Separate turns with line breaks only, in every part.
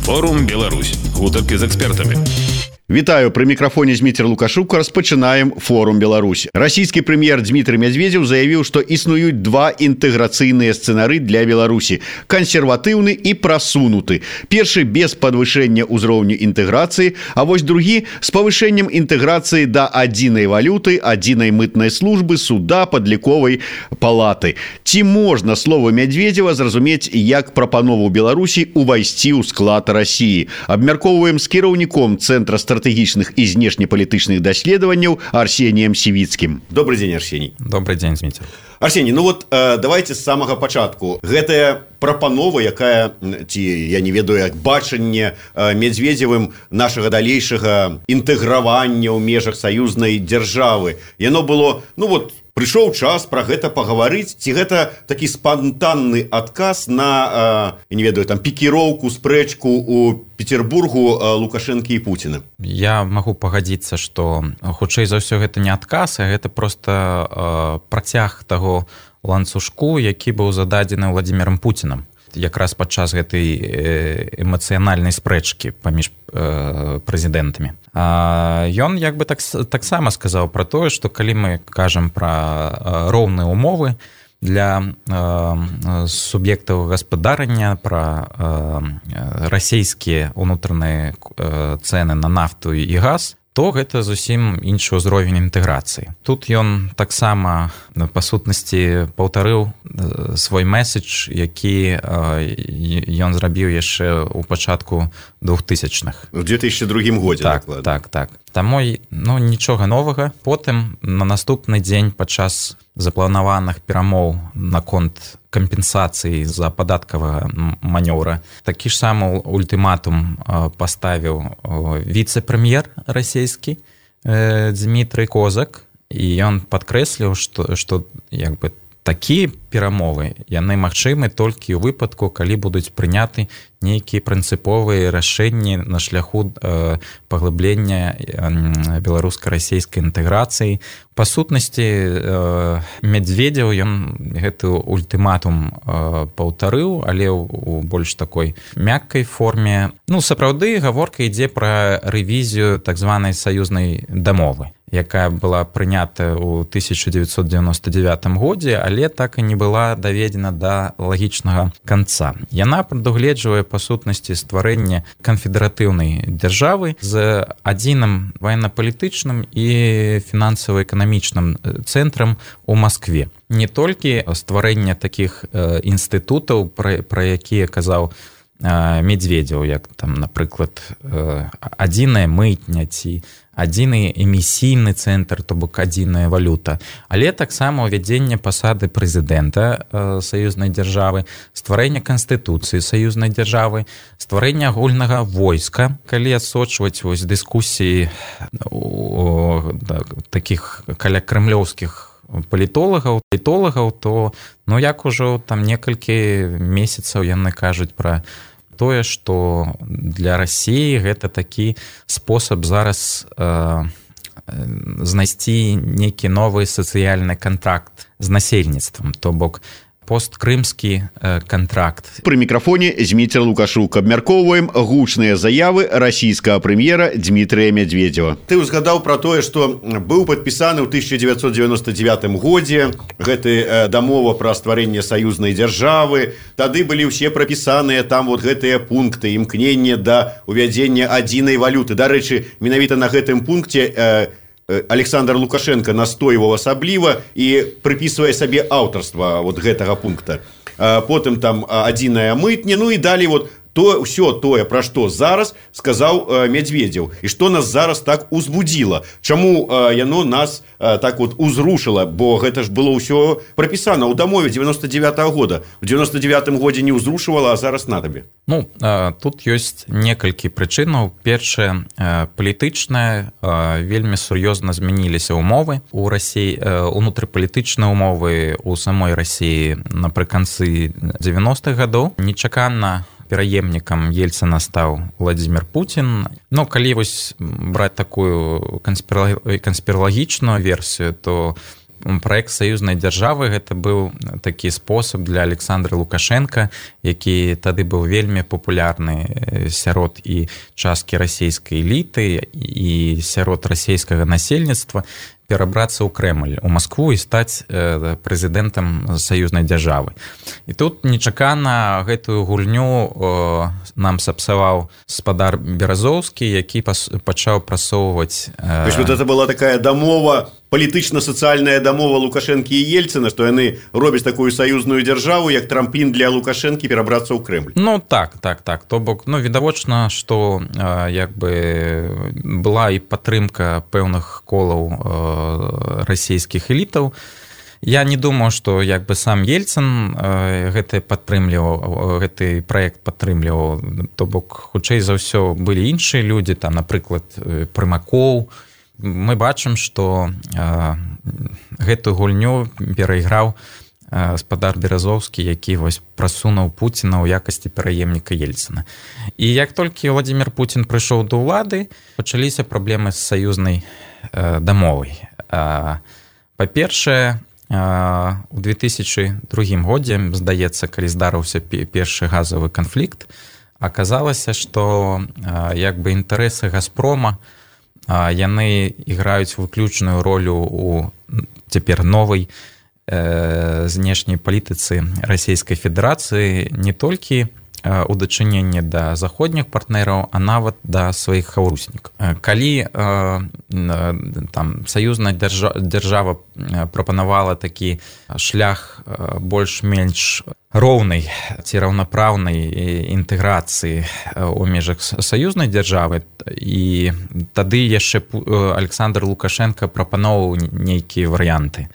Форум Беларусь. Гутарки з экспертамі.
Вітаю, при микрофоне Дмитрий Лукашук. Распачинаем форум Беларусь. Российский премьер Дмитрий Медведев заявил, что існуюць два интеграционные сценары для Беларуси – консервативный и просунутый. Первый без повышения уровня интеграции, а вось другі с повышением интеграции до единой валюты, единой мытной службы, суда, подліковой палаты. Ці можно слово Медведева зразумець як прапанову Беларуси увайсці ў склад России? Абмяркоўваем с кіраўніком Центра стратегічных и внешнеполитычных даследаванняў Арсением Сивицким. Добрый день, Арсений.
Добрый день, Дмитрий.
Арсений, ну вот давайте с самого пачатку. Гэтая прапанова, якая, ці я не ведаю, як бачанне Медведевым нашага далейшага інтэгравання ў межах саюзнай дзяржавы. Яно было, ну вот, прыйшоў час пра гэта пагаварыць, ці гэта такі спантанны адказ на, я не ведаю, там пікіроўку, спрэчку ў Петербургу Лукашенко і Путіна?
Я магу пагадзіцца, што хутчэй за ўсё гэта не адказ, а гэта проста працяг таго ланцужку, які быў зададзены Владимиром Путиным. Якраз падчас гэтай эмацыянальнай спрэчкі паміж прэзідэнтамі. Ён як бы таксама сказаў пра тое, што калі мы кажам пра роўныя умовы для суб'ектаў гаспадарання, пра расійскія ўнутраныя цэны на нафту і газ, то гэта зусім іншы ўзровень інтэграцыі. Тут ён таксама, па сутнасці, паўтарыў свой месседж, які ён зрабіў яшчэ ў пачатку 2000-х.
У 2002 годзе, дакладна.
Так. Таму, ну, нічога новага. Потым, на наступны дзень, падчас запланаваных перамоў наконт кампенсацыі за падаткавага манёўра, такі ж самы ультыматум паставіў віцэ-прэм'ер расійскі Дмітрый Козак, і ён падкрэсліў, што як бы такія перамовы, яны магчымы толькі ў выпадку, калі будуць прыняты нейкія прынцыповыя рашэнні на шляху паглыблення беларуска-расійскай інтэграцыі. Па сутнасці, Медведев, ён гэты ультыматум паўтарыў, але ў больш такой мяккай форме. Ну, сапраўды, гаворка ідзе пра рэвізію так званай саюзнай дамовы, якая была прынята ў 1999 годзе, але так і не была даведзена да лагічнага канца. Яна прадугледжвае па сутнасці стварэнне канфедэратыўнай дзяржавы з адзіным военно-палітычным і фінансава-эканамічным цэнтрам у Маскве. Не толькі стварэнне такіх інстытутаў, пра якія казаў Медведев, як там, напрыклад, адзіная мытня ці адзіны эмісійны цэнтр, то бок адзіная валюта, але таксама ўвядзенне пасады прэзідэнта саюзнай дзяржавы, стварэнне канстытуцыі саюзнай дзяржавы, стварэнне агульнага войска. Калі адсочваць вось дыскусіі такіх каля крэмлёўскіх палітолагаў, то, ну, як ужо там некалькі месяцаў яны кажуць пра тое, што для Расіі гэта такі спосаб зараз знайсці нейкі новы сацыяльны кантракт з насельніцтвам, то бок посткрымскі контракт.
При микрофоне Дмитрий Лукашук. Абмяркоўваем гучныя заявы расійскага прэм'ера Дмітрия Медведева. Ты узгадаў пра тое, што быў падпісаны ў 1999 годзе гэты дамова пра стварэнне саюзнай дзяржавы. Тады былі ўсе прапісаныя там вот гэтыя пункты, імкненне да увядзення адзінай валюты. Дарэчы, менавіта на гэтым пункце Александр Лукашенко настойваў асабліва і прыпісвае сабе аўтарства вот гэтага пункта. Потым там адзіная мытня, ну і далей вот ўсё тое, пра што зараз сказаў Медведев, і што нас зараз так узбудзіла. Чаму яно нас так вот узрушыла, бо гэта ж было ўсё прапісана ў дамове 99-го года. У 99-м годзе не ўзрушывала, а зараз на табе.
Ну, тут ёсць некалькі прычынаў. Першае, палітычнае, вельмі сур'ёзна змяніліся ўмовы у Расіі, унутрыпалітычныя ўмовы у самой Расіі напрыканцы 90-х гадоў. Нечакана пераемнікам Ельцына стаў Владимир Путин. Ну, калі вось браць такую канспіралагічную версію, то праект саюзнай дзяржавы гэта быў такі спосаб для Александра Лукашенко, які тады быў вельмі папулярны сярод і часткі расійскай эліты і сярод расійскага насельніцтва перабрацца ў Крэмль, у Маскву і стаць прэзідэнтам саюзнай дзяржавы. І тут нечакана гэтую гульню нам сапсаваў спадар Беразоўскі, які пачаў прасоўваць...
То есть вот это была такая дамова, палітычна-сацыяльная дамова Лукашэнкі і Ельцына, што яны робяць такую саюзную дзяржаву, як трамплін для Лукашэнкі перабрацца ў Крэмль.
Ну так. То бок, відавочна, што як бы была і падтрымка пэўных колаў расійскіх элітаў. Я не думаю, што як бы сам Ельцын гэты праект падтрымліваў, то бок хутчэй за ўсё былі іншыя людзі, там, напрыклад, Прымакоў. Мы бачым, што гэтую гульню перайграў спадар Беразоўскі, які вось прасунуў Пуціна ў якасці пераемніка Ельцына. І як толькі Владзімір Пуцін прыйшоў да ўлады, пачаліся праблемы з саюзнай дамовай. Па-першае, у 2002 годзе, здаецца, калі здарыўся першы газавы канфлікт, аказалася, што як бы інтарэсы Газпрома яны іграюць выключную ролю у цяпер новай знешняй палітыцы Расійскай Федэрацыі не толькі у дачыненні да заходніх партнераў, а нават да сваіх хаўруснікаў. Калі там саюзная дзяржава прапанавала такі шлях больш-менш роўнай ці раўнапраўнай інтэграцыі ў межах саюзнай дзяржавы, і тады яшчэ Александр Лукашенко прапаноўваў нейкія варыянты,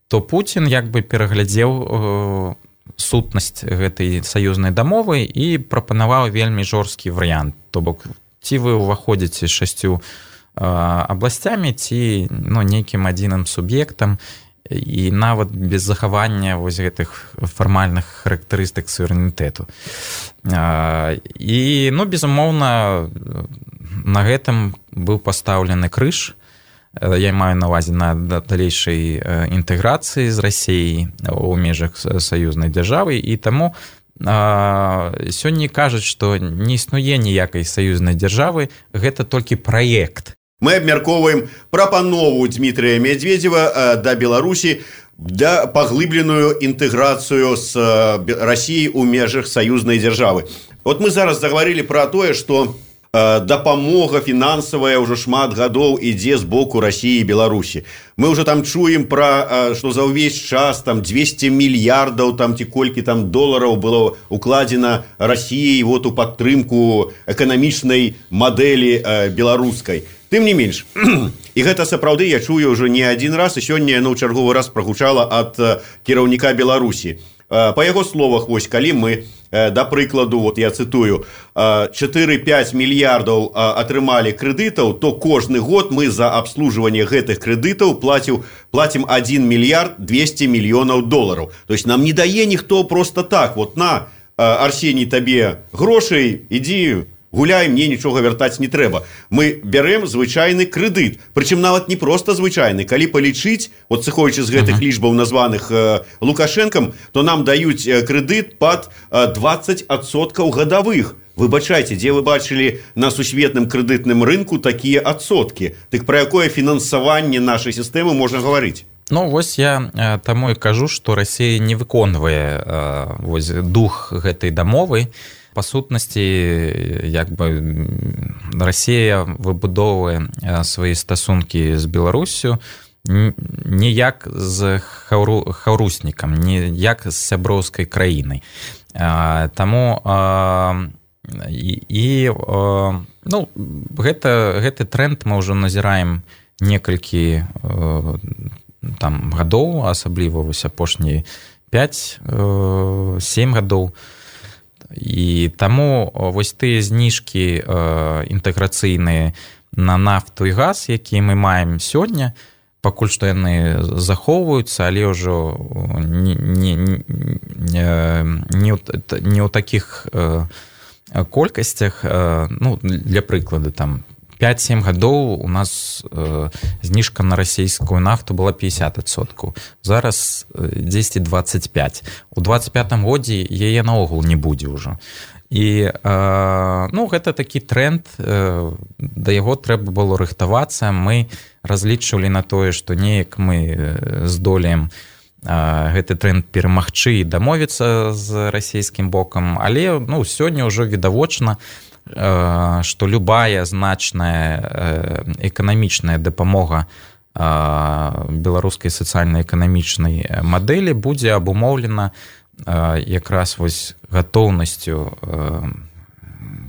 то Пуцін як бы пераглядзеў сутнасць гэтай саюзнай дамовы і прапанаваў вельмі жорсткі варыянт. То бок, ці вы ўваходзіце 6 абласцямі, ці нейкім адзіным суб'ектам, і нават без захавання вось гэтых фармальных характарыстык суверэнітэту. І, безумоўна, на гэтым быў пастаўлены крыж. Я маю на ўвазе на далейшай інтэграцыі з Расіяй у межах саюзнай дзяржавы, і таму сёння кажуць, што не існуе ніякай саюзнай дзяржавы, гэта толькі праект.
Мы абмяркоўваем прапанову Дмітрыя Медведзева да Беларусі да паглыбленую інтэграцыю з Расіяй у межах саюзнай дзяржавы. Вот мы зараз загаварылі пра тое, што дапамога фінансавая ўжо шмат гадоў ідзе з боку Расіі і Беларусі. Мы ўжо там чуем пра, што за ўвесь час там 200 мільярдаў там ці колькі там долараў было укладзена Расіяй вот у падтрымку эканамічнай мадэлі беларускай. Тым не менш, і гэта сапраўды я чую ўжо не адзін раз, і сёння яно ў чарговы раз прагучала ад кіраўніка Беларусі. Па яго словах, вось калі мы, да прыкладу, вот я цытую, 4-5 мільярдаў атрымалі крэдытаў, то кожны год мы за абслужванне гэтых крэдытаў платім 1 мільярд 200 мільёнаў долараў. То есть нам не дае ніхто просто так, вот на, Арсеній, табе грошай, ідзі, гуляй, мне нічога вяртаць не трэба. Мы бярэм звычайны крэдыт, прычым нават не проста звычайны. Калі палічыць, от сыходзячы з гэтых лічбаў названых Лукашэнкам, то нам даюць крэдыт пад 20% гадавых. Выбачайце, дзе вы бачылі на сусветным крэдытным рынку такія адсоткі? Дык пра якое фінансаванне нашай сістэмы можна гаварыць?
Вось я таму і кажу, што Расія не выконвае дух гэтай дамовы. Па сутнасці, як бы Расія выбудоўвае свае стасункі з Беларусю не як з хаўруснікам, не як з сяброўскай краінай. Таму гэты тренд мы ўжо назіраем некалькі гадоў, асабліва вось апошнія 5-7 гадоў. І таму вось тыя зніжкі інтэграцыйныя на нафту і газ, якія мы маем сёння, пакуль што яны захоўваюцца, але ўжо не ў такіх колькасцях, для прыкладу, там 5-7 гадоў у нас зніжка на расійскую нафту была 50%. Зараз 10-25. У 25-м годзе яе наогул не будзе ўжо. І гэта такі тренд, да яго трэба было рыхтавацца. Мы разлічвалі на тое, што неяк мы здолеем гэты тренд перамагчы і дамовіцца з расійскім бокам, але сёння ўжо відавочна, што любая значная эканамічная дапамога беларускай сацыяльна-эканамічнай мадэлі будзе абумоўлена якраз гатоўнасцю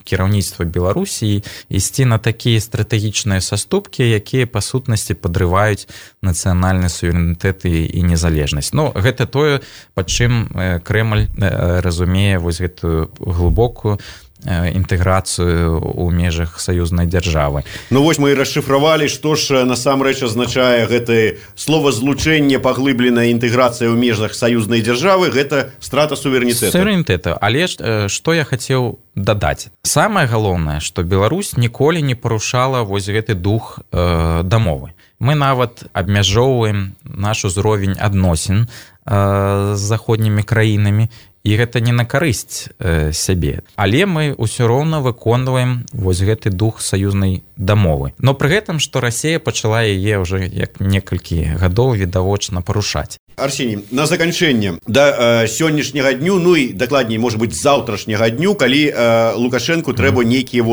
кіраўніцтва Беларусі ісці на такія стратэгічныя саступкі, якія па сутнасці падрываюць нацыянальны суверэнітэт і незалежнасць. Гэта тое, пад чым Крэмль разумее гэтую глыбокую інтэграцыю ў межах саюзнай дзяржавы.
Вось мы і расшыфравалі, што ж насамрэч азначае гэтае словазлучэнне, паглыбленая інтэграцыя ў межах саюзнай дзяржавы, гэта страта суверэнітэта.
Але што я хацеў дадаць. Самае галоўнае, што Беларусь ніколі не парушала гэты дух дамовы. Мы нават абмяжоўваем наш узровень адносін з заходнімі краінамі, і гэта не на карысць сябе. Але мы ўсё роўна выконваем гэты дух саюзнай дамовы. Но пры гэтым, што Расія пачала яе ўжо як некалькі гадоў відавочна парушаць.
Арсений, на заканчэнне да сённяшняга дню, і дакладней, можа быць, заўтрашняга дню, калі Лукашэнку трэба нейкія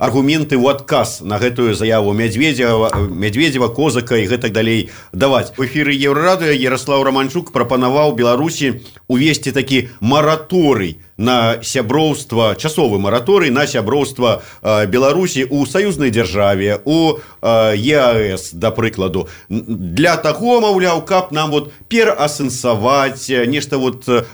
аргументы ў адказ на гэтую заяву Медведзева, Козака і гэтак далей даваць. У эфіры Еўрарадыё Ярослаў Романчук прапанаваў Беларусі увесці такі мараторый на сяброўства, часовы мараторый на сяброўства Беларусі ў саюзнай дзяржаве, у ЕАЭС, да прыкладу. Для таго, маўляў, каб нам пераасэнсаваць, нешта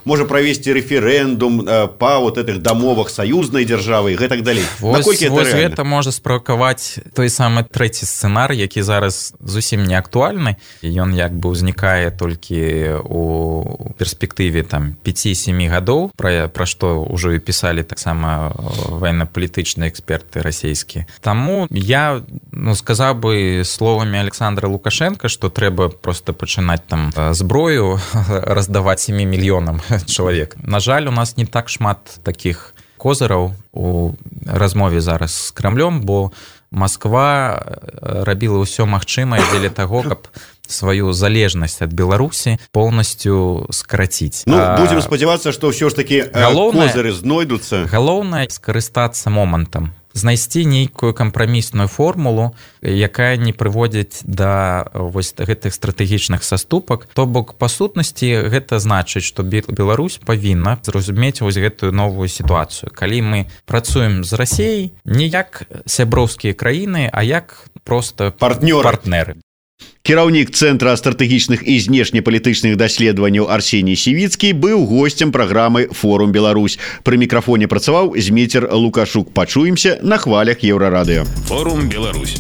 можа правесці рэферэндум па гэтых дамовах саюзнай дзяржавы і гэтак далей. Наколькі гэта рэальна?
Гэта можа справакаваць той самы трэці сцэнарый, які зараз зусім не актуальны. Ён як бы ўзнікае толькі у перспектыве 5-7 гадоў, пра што ўжо і пісалі таксама военно-палітычныя эксперты расійскія. Таму я сказаў бы словамі Александра Лукашенка, што трэба проста пачынаць зброю раздаваць 7 мільёнам чалавек. На жаль, у нас не так шмат такіх козыраў у размове зараз з Крамлём, бо Масква рабіла ўсё магчымае дзеля таго, каб сваю залежнасць ад Беларусі полностью скараціць.
Будзем спадзявацца, што ўсё ж такі козыры знойдуцца.
Галоўнае скарыстацца момантам, знайсці нейкую кампрамісную формулу, якая не прыводзіць да гэтых стратэгічных саступак. То бок, па сутнасці, гэта значыць, што Беларусь павінна зразумець гэтую новую сітуацыю. Калі мы працуем з Расіяй не як сяброўскія краіны, а як проста партнеры.
Кіраўнік Цэнтра стратэгічных і знешнепалітычных даследаванняў Арсеній Сівіцкі быў госцем праграмы «Форум Беларусь». Пры мікрафоне працаваў Зміцер Лукашук. Пачуемся на хвалях Еўрарадыё.
«Форум Беларусь».